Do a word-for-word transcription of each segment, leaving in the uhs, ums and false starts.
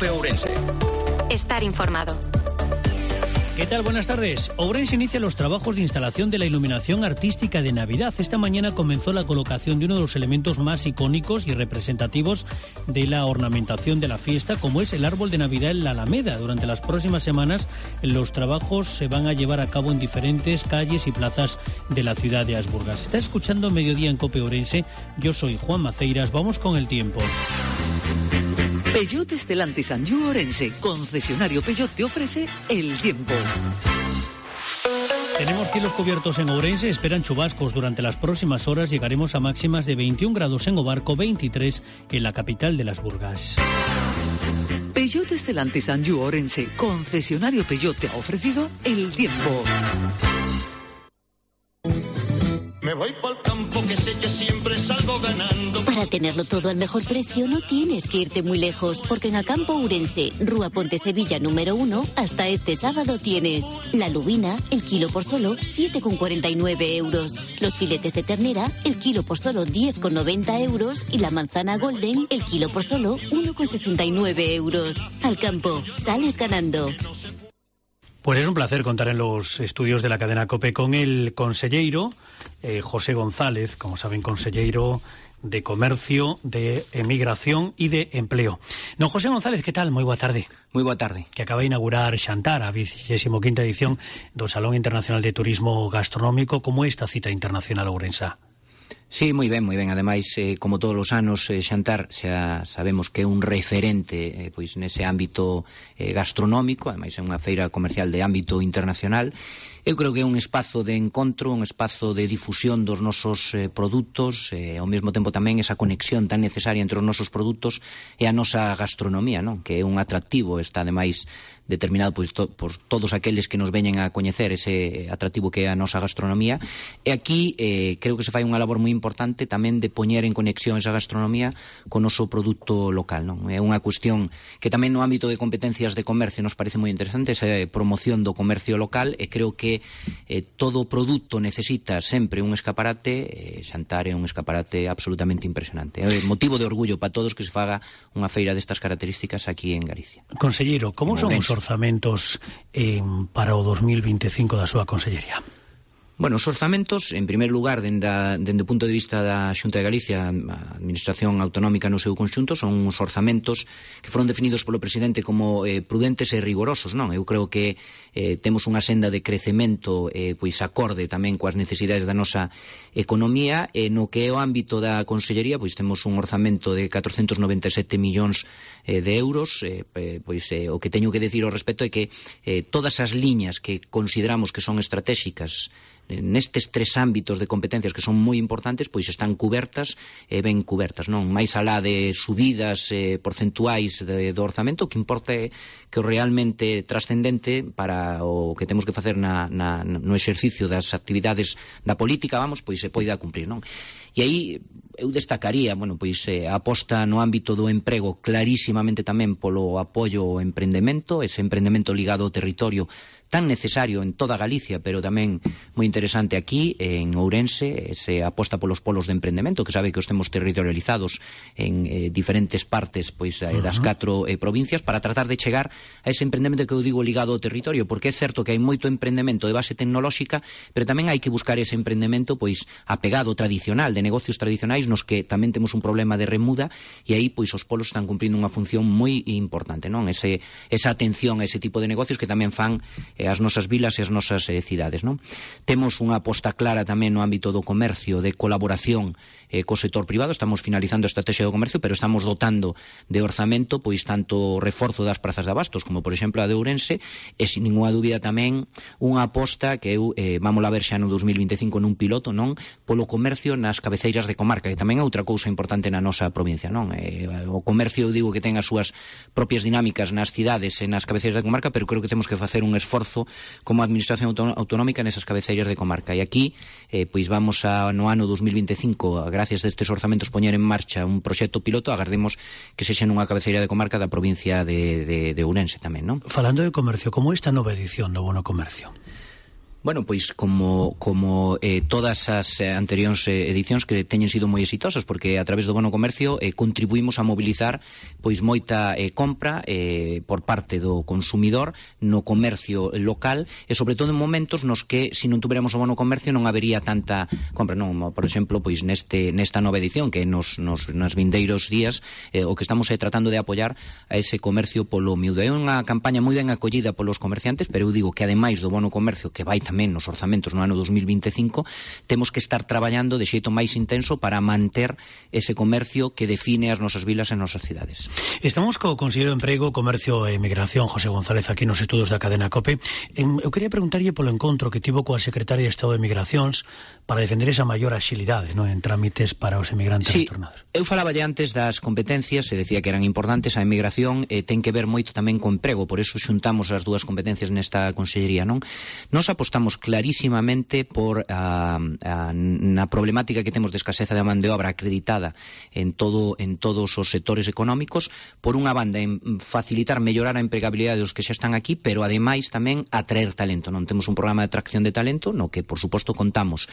COPE Ourense. Estar informado. ¿Qué tal? Buenas tardes. Ourense inicia los trabajos de instalación de la iluminación artística de Navidad. Esta mañana comenzó la colocación de uno de los elementos más icónicos y representativos de la ornamentación de la fiesta, como es el árbol de Navidad en la Alameda. Durante las próximas semanas, los trabajos se van a llevar a cabo en diferentes calles y plazas de la ciudad de Asburgas. Está escuchando Mediodía en COPE Ourense. Yo soy Juan Maceiras. Vamos con el tiempo. Peugeot Stellantis Anjou Ourense, concesionario Peugeot, te ofrece el tiempo. Tenemos cielos cubiertos en Ourense, esperan chubascos durante las próximas horas. Llegaremos a máximas de veintiún grados en Obarco, veintitrés en la capital de las Burgas. Peugeot Stellantis Anjou Ourense, concesionario Peugeot, te ha ofrecido el tiempo. Me voy pa'l campo que sé que siempre salgo ganando. Para tenerlo todo al mejor precio no tienes que irte muy lejos, porque en Acampo Ourense, Rúa Ponte Sevilla número uno, hasta este sábado tienes la lubina, el kilo por solo siete con cuarenta y nueve euros. Los filetes de ternera, el kilo por solo diez con noventa euros. Y la manzana golden, el kilo por solo uno con sesenta y nueve euros. Alcampo, sales ganando. Pues es un placer contar en los estudios de la cadena COPE con el conselleiro eh, José González, como saben, conselleiro de Comercio, de Emigración y de Empleo. Don José González, ¿qué tal? Moi boa tarde. Moi boa tarde. Que acaba de inaugurar Xantar, a vigésima quinta edición do Salón Internacional de Turismo Gastronómico. Como esta cita internacional ourensa? Sí, moi ben, moi ben. Ademais, eh, como todos os anos, eh, Xantar xa sabemos que é un referente eh, pois nese ámbito eh, gastronómico. Ademais, é unha feira comercial de ámbito internacional. Eu creo que é un espazo de encontro, un espazo de difusión dos nosos eh, produtos, e eh, ao mesmo tempo tamén esa conexión tan necesaria entre os nosos produtos e a nosa gastronomía, non? Que é un atractivo, está ademais determinado pois, to, por todos aqueles que nos veñen a coñecer ese atractivo que é a nosa gastronomía. E aquí eh, creo que se fai unha labor moi importante tamén de poñer en conexión esa gastronomía con o noso produto local, non? É unha cuestión que tamén no ámbito de competencias de comercio nos parece moi interesante, esa promoción do comercio local, e creo que eh, todo produto necesita sempre un escaparate. eh, Xantar é un escaparate absolutamente impresionante. É motivo de orgullo para todos que se faga unha feira destas características aquí en Galicia. Conselleiro, como son os orzamentos eh, para o dos mil veinticinco da súa consellería? Bueno, os orzamentos, en primer lugar, dende, a, dende o punto de vista da Xunta de Galicia, a Administración Autonómica no seu conxunto, son uns orzamentos que foron definidos polo presidente como eh, prudentes e rigorosos, non? Eu creo que eh, temos unha senda de crecemento eh, pois acorde tamén coas necesidades da nosa economía, e no que é o ámbito da consellería, pois temos un orzamento de catrocentos noventa e sete millóns eh, de euros. eh, pois eh, o que teño que decir ao respecto é que eh, todas as liñas que consideramos que son estratégicas nestes tres ámbitos de competencias que son moi importantes, pois están cubertas e ben cubertas, non? Mais alá de subidas eh, porcentuais de, do orzamento, o que importa é que o realmente trascendente para o que temos que facer na, na, no exercicio das actividades da política, vamos, pois se poida cumprir, non? E aí eu destacaría, bueno, pois eh, a aposta no ámbito do emprego clarísimamente tamén polo apoio ao emprendemento, ese emprendemento ligado ao territorio tan necesario en toda Galicia, pero tamén moi interesante aquí en Ourense, se aposta polos polos de emprendemento, que sabe que os temos territorializados en eh, diferentes partes pois eh, das catro eh, provincias, para tratar de chegar a ese emprendemento que eu digo ligado ao territorio, porque é certo que hai moito emprendemento de base tecnolóxica, pero tamén hai que buscar ese emprendemento pois apegado tradicional, de negocios tradicionais, nos que tamén temos un problema de remuda, e aí pois os polos están cumprindo unha función moi importante, non? Ese, esa atención a ese tipo de negocios que tamén fan eh, as nosas vilas e as nosas eh, cidades, non? Temos unha aposta clara tamén no ámbito do comercio, de colaboración eh, co sector privado. Estamos finalizando a estrategia do comercio, pero estamos dotando de orzamento pois tanto o reforzo das prazas de abastos como, por exemplo, a de Ourense, e sin ninguna dúbida tamén unha aposta que eu eh, vamos a ver xa no dos mil veinticinco nun piloto, non? Polo comercio nas cabeceiras de comarca, que tamén é outra cousa importante na nosa provincia, non? Eh, o comercio, eu digo que ten as súas propias dinámicas nas cidades e nas cabeceiras de comarca, pero creo que temos que facer un esforzo como administración autonómica nesas cabeceiras de comarca. E aquí, eh, pois vamos a, no ano dos mil veinticinco, gracias a estes orzamentos, poñer en marcha un proxecto piloto. Agardemos que sexa nunha cabeceira de comarca da provincia de, de, de Ourense tamén, non? Falando de comercio, como esta nova edición do Bono Comercio? Bueno, pois como como eh, todas as eh, anteriores eh, edicións que teñen sido moi exitosas, porque a través do bono comercio eh, contribuímos a mobilizar pois moita eh, compra eh, por parte do consumidor no comercio local e sobre todo en momentos nos que se non tuveramos o bono comercio non habería tanta compra, non, por exemplo, pois neste nesta nova edición que nos nos nas vindeiros días eh, o que estamos eh, tratando de apoiar a ese comercio polo miúdo. É unha campaña moi ben acollida polos comerciantes, pero eu digo que ademais do bono comercio que vai tamén nos orzamentos no ano dos mil vinte e cinco, temos que estar traballando de xeito máis intenso para manter ese comercio que define as nosas vilas e nosas cidades. Estamos co Conselleiro de Emprego, Comercio e Migración, José González, aquí nos estudos da cadena COPE. Eu quería preguntarlle polo encontro que tivo coa Secretaria de Estado de Migracións para defender esa maior axilidade, non, en trámites para os emigrantes sí, retornados. Eu falaba antes das competencias, se decía que eran importantes, a emigración eh, ten que ver moito tamén co emprego, por eso xuntamos as dúas competencias nesta consellería, non? Nos apostamos clarísimamente por a, a, na problemática que temos de escaseza de man de obra acreditada en todo en todos os sectores económicos, por unha banda en facilitar, mellorar a empregabilidade dos que xa están aquí, pero ademais tamén atraer talento, non? Temos un programa de atracción de talento no que, por suposto, contamos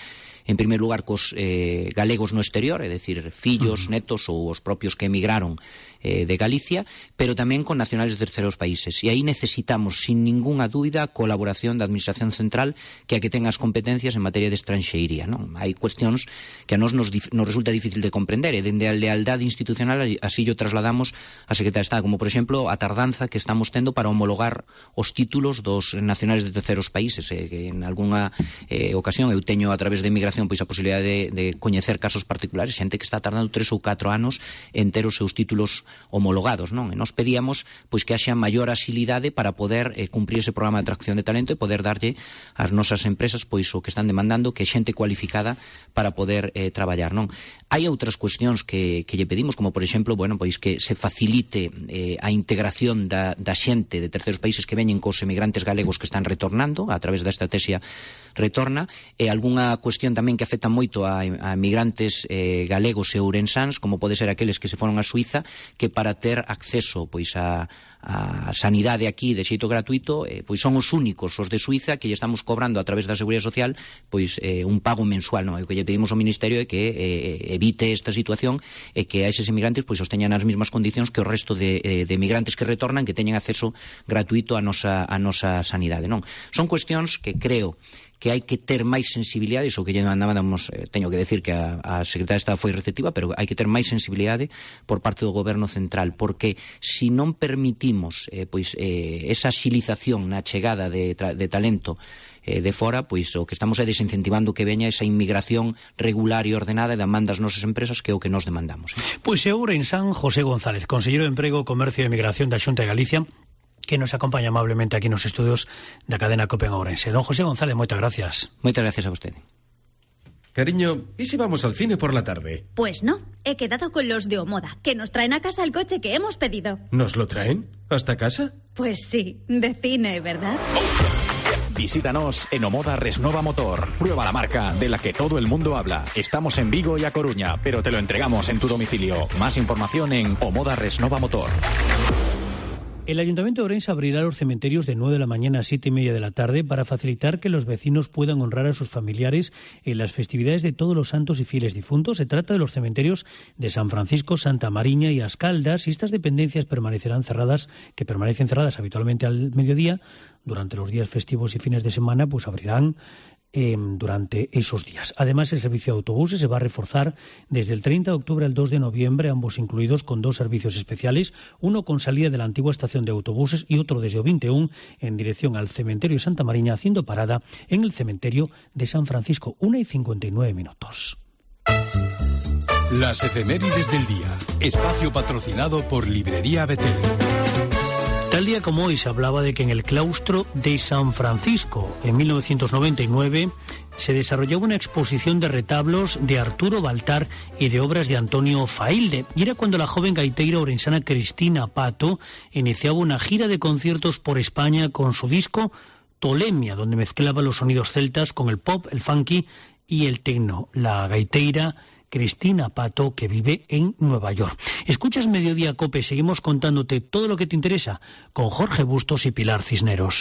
en primeiro lugar cos eh, galegos no exterior, é dicir, fillos, uh-huh. netos ou os propios que emigraron eh, de Galicia, pero tamén con nacionales de terceros países. E aí necesitamos, sin ninguna dúbida, a colaboración da Administración Central, que a que ten as competencias en materia de estranxeiría, non? Hai cuestións que a nos nos, nos resulta difícil de comprender, e dende a lealdade institucional así yo trasladamos a Secretaría de Estado, como, por exemplo, a tardanza que estamos tendo para homologar os títulos dos nacionales de terceros países, eh, que en algunha eh, ocasión eu teño a través de emigración pois a posibilidade de, de coñecer casos particulares, xente que está tardando tres ou catro anos en ter os seus títulos homologados, non? E nos pedíamos pois que haxa maior axilidade para poder eh, cumprir ese programa de atracción de talento e poder darlle ás nosas empresas pois o que están demandando, que é xente cualificada para poder eh, traballar, non? Hai outras cuestións que, que lle pedimos, como por exemplo, bueno, pois que se facilite eh, a integración da, da xente de terceros países que veñen cos emigrantes galegos que están retornando a través da estrategia Retorna, e algunha cuestión tamén que afecta moito a, a emigrantes eh, galegos e ourensáns, como pode ser aqueles que se foron a Suiza, que para ter acceso pois a a sanidade aquí de xeito gratuito, eh, pois son os únicos, os de Suiza, que lle estamos cobrando a través da Seguridade Social pois eh, un pago mensual, non? E o que lle pedimos ao Ministerio é que eh, evite esta situación e que a eses emigrantes pois os teñan as mesmas condicións que o resto de, eh, de emigrantes que retornan, que teñan acceso gratuito a nosa, a nosa sanidade, non? Son cuestións que creo que hai que ter máis sensibilidade, iso que lle mandábamos, eh, teño que decir que a, a Secretaría de Estado foi receptiva, pero hai que ter máis sensibilidade por parte do Goberno Central, porque se non permitimos eh, pois eh, esa axilización na chegada de, de talento eh, de fora, pois o que estamos é desincentivando que veña esa inmigración regular e ordenada e demanda as nosas empresas, que é o que nos demandamos. Eh. Pois é Ourensán José González, Conselleiro de Emprego, Comercio e Migración da Xunta de Galicia, que nos acompaña amablemente aquí nos estudios da cadena COPE en Ourense. Don José González, moitas gracias. Moitas gracias a vostede. Cariño, ¿y si vamos al cine por la tarde? Pues no, he quedado con los de Omoda, que nos traen a casa el coche que hemos pedido. ¿Nos lo traen? ¿Hasta casa? Pues sí, de cine, ¿verdad? Visítanos en Omoda Resnova Motor. Prueba la marca de la que todo el mundo habla. Estamos en Vigo y A Coruña, pero te lo entregamos en tu domicilio. Más información en Omoda Resnova Motor. El Ayuntamiento de Ourense abrirá los cementerios de nueve de la mañana a siete y media de la tarde para facilitar que los vecinos puedan honrar a sus familiares en las festividades de todos los santos y fieles difuntos. Se trata de los cementerios de San Francisco, Santa Mariña y As Caldas, y estas dependencias permanecerán cerradas, que permanecen cerradas habitualmente al mediodía. Durante los días festivos y fines de semana, pues abrirán Eh, durante esos días. Además, el servicio de autobuses se va a reforzar desde el treinta de octubre al dos de noviembre, ambos incluidos con dos servicios especiales, uno con salida de la antigua estación de autobuses y otro desde o veintiuno en dirección al cementerio de Santa Mariña, haciendo parada en el cementerio de San Francisco. Una y cincuenta y nueve minutos. Las efemérides del día. Espacio patrocinado por Librería Betel. Tal día como hoy se hablaba de que en el claustro de San Francisco, en mil novecientos noventa y nueve, se desarrollaba una exposición de retablos de Arturo Baltar y de obras de Antonio Failde. Y era cuando la joven gaiteira orensana Cristina Pato iniciaba una gira de conciertos por España con su disco Tolemia, donde mezclaba los sonidos celtas con el pop, el funky y el techno. La gaiteira Cristina Pato, que vive en Nueva York. Escuchas Mediodía COPE, seguimos contándote todo lo que te interesa con Jorge Bustos y Pilar Cisneros.